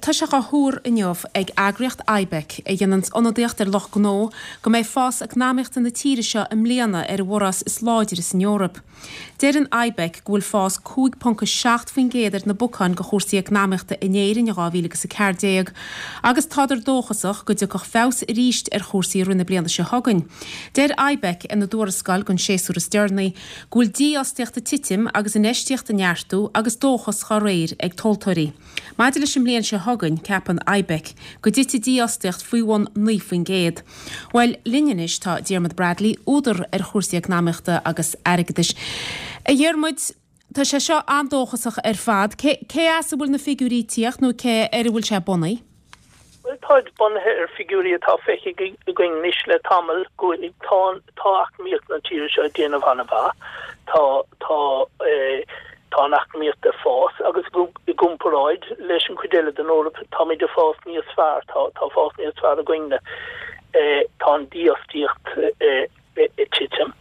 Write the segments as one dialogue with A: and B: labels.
A: tá sé dhá thuar inniu ag eagraíocht IBEC, a dhéananns ionadaíocht ar lucht gnó, go mbeidh fás eacnamaíochta na tíre seo i mbliana ar an bhforás is láidre san Eoraip. Deireann IBEC go bhfuil fás 5.7% ar na bocáin go chúrsaí eacnamaíochta in Éirinn in 2014 agus tádar dóchasach go dtiocfadh feabhas arís ar chúrsaí i rith na bliana seo chugainn. Deir IBEC ina dtuarascáil don séasúr is deireanaí go bhfuil dífhostaíocht ag titim agus infheistíocht ag neartú agus dóchas dhá réir ag tomhaltóirí. Maidir leis an mbliain seo chugainn, ceapann IBEC go dtitfidh dífhostaíocht faoi bhun 9%. Bhuel, linn anois tá Diarmuid Bradley, údar ar chúrsaí eacnamaíochta agus airgeadais. A Dhiarmuid, tá sé seo an-dóchasach ar fad. Cé, cé as a bhfuil na figiúirí ag tíocht nó cé ar a bhfuil sé bunaithe?
B: Bhuel, táid bunaithe ar figiúirí atá feicthe againn anois le tamall go bhfuil, tá, tá eacnamaíocht na tíre seo ag déanamh an-mhaith. Tá, tá, tá an eacnamaíocht ag fás agus i gcomparáid leis an chuid eile den Eoraip, táimid ag fás níos fearr, tá, tá fás níos fearr againne. Tá an dífhostaíocht ag titim.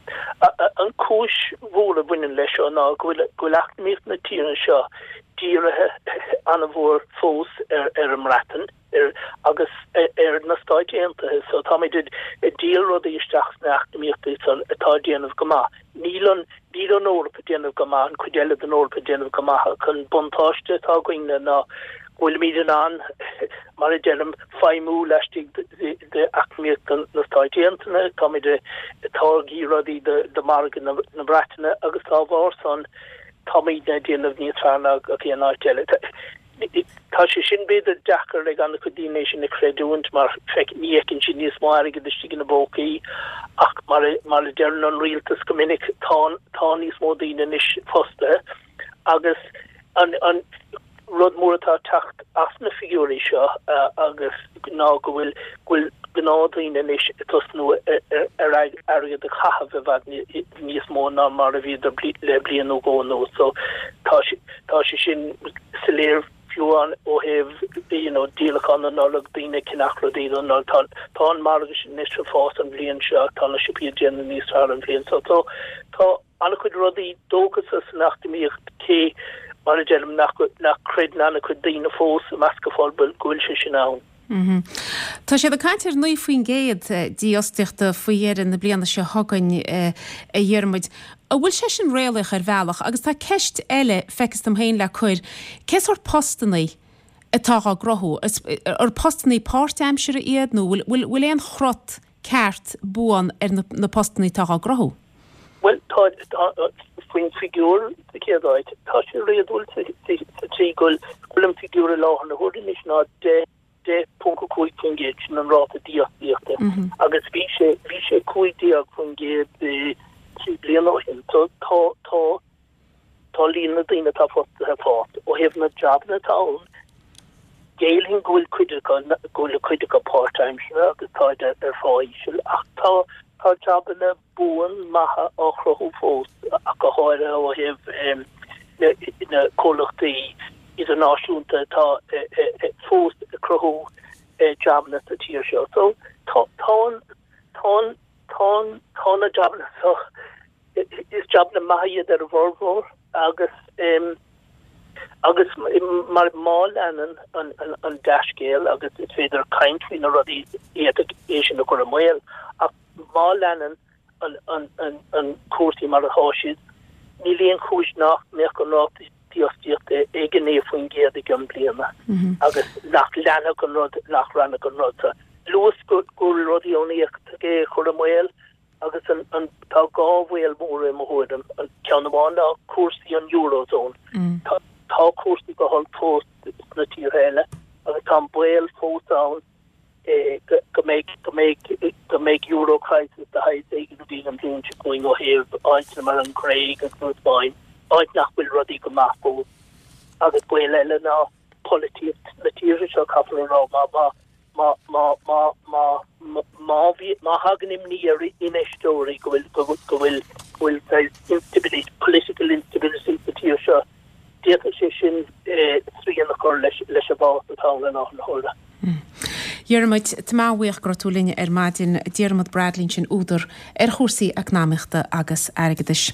B: An chúis mhór a bhaineann leis seo ná go bhfuil, go bhfuil eacnamaíocht na tíre seo dírithe an-mhór fós ar ar an mBreatain ar agus ar na Stáit Aontaithe so táimid ag díol rudaí isteach sna eacnamaíochtaí san atá ag déanamh go maith. Níl an níl an Eoraip ag déanamh go maith, an chuid eile den Eoraip ag déanamh go maith ach an buntáiste atá againne ná go bhfuilimid in ann, mar a deirim, feidhmiú laistigh d'eacnamaíocht na Stáit Aontaithe, táimid ag táirgeadh rudaí do mhargadh na Breataine agus dá bharr san táimidne ag déanamh níos fearr ná gach aon áit eile. Tá sé sin b'fhéidir deacair ag an-chuid daoine é sin a chreidiúint mar ní fheiceann siad níos mó airgid istigh ina bpócaí ach mar a deireann an rialtas go minic tá tá níos mó daoine anois fostaithe agus an an rud mór atá ag teacht as na figiúirí seo agus ná go bhfuil go bhfuil gnáthdhaoine anois ag tosnú ar airgead a chaitheamh i bhfad níos mó ná mar a bhíodar le bliain nó dhó anuas. So tá tá sé sin soiléir fiú amháin ó thaobh you know díolachán na Nollag, daoine ag ceannach rudaí don Nollaig. Tá tá an margadh sin anois ag fás an bhliain seo, tá na siopaí ag déanamh níos fearr an bhliain seo. So tá an-chuid rudaí dóchasach san eacnamaíocht cé mar a deirim nach nach gcreideann an-chuid daoine fós i measc an phobail go bhfuil sé sin ann.
A: Tá siad ag caint ar 9% dífhostaíochta faoi dheireadh na bliana seo chugainn, a Dhiarmuid. An bhfuil sé sin réalaíoch ar bhealach? Agus tá ceist eile, feictear dom féin, le cur, cé sórt postannaí atá dhá gcruthú? Ar postannaí páirtaimseartha iad nó bhfuil bhfuil aon chrot ceart buan ar na postannaí atá dhá gcruthú?
B: Bhuel, tá, tá, faoin bhfigiúr sa chéad áit, tá sé réadúil sa tslí go bhfuil an figiúr i láthair na huaire anois ná 10, 10.5%, sin an ráta dífhostaíochta, agus bhí sé, bhí sé 15% 3 bliana ó shin. So tá, tá, tá líon na daoine atá fostaithe ag fás. Ó thaobh na jabanna atá ann, géillfinn go bhfuil cuid acu, go bhfuil cuid acu páirtaimseartha agus táid ar phá íseal, ach tá, tá jabanna buan maithe á chruthú fós, ach go háirithe ó thaobh na comhlachtaí idirnáisiúnta atá fós ag cruthú jabanna sa tír seo. So tá, tá an, tá an, tá an, tá na jabanna seo, is jabanna maithe iad ar a bhformhór agus agus mar má leanann an, an, an dea-scéal agus is féidir caint faoi na rudaí iad é sin a chur i mbaol ach Má leanann an cúrsaí mar atá siad, níl aon chúis nach mbeadh an ráta dífhostaíochta ag 9% i gcionn bliana agus nach leanfadh an rud, nach leanfadh an rud. Luas go bhfuil rudaí ann a d'fhéadfadh é a chur i mbaol agus an tá dhá bhaol mhóra i mo thuairim. An ceann amháin ná cúrsaí an Eurozone. Tá cúrsaí go holc fós sna tíortha eile agus tá an baol fós ann go mbeidh, go mbeidh, go mbeidh euro crisis de shaghas éigin againn an bhliain seo chugainn ó thaobh áiteanna mar an Ghréig agus an Spáinn, áit nach bhfuil rudaí go maith fós. Agus baol eile ná polaitíocht na tíortha seo, caithfear a rá, má, má, má, má, má, má, má bhí, má thagann imní ar infheisteoirí go bhfuil, go bhfuil, go bhfuil, go bhfuil saghas instability, political instability sa tír seo, D'fhéadfadh sé sin srian a chur leis an bhfás atá ann i láthair na
A: huaire. Diarmuid, tá mé an-bhuíoch go raibh tú linn ar maidin. Diarmuid Bradley ansin, údar ar chúrsaí eacnamaíochta agus airgeadais.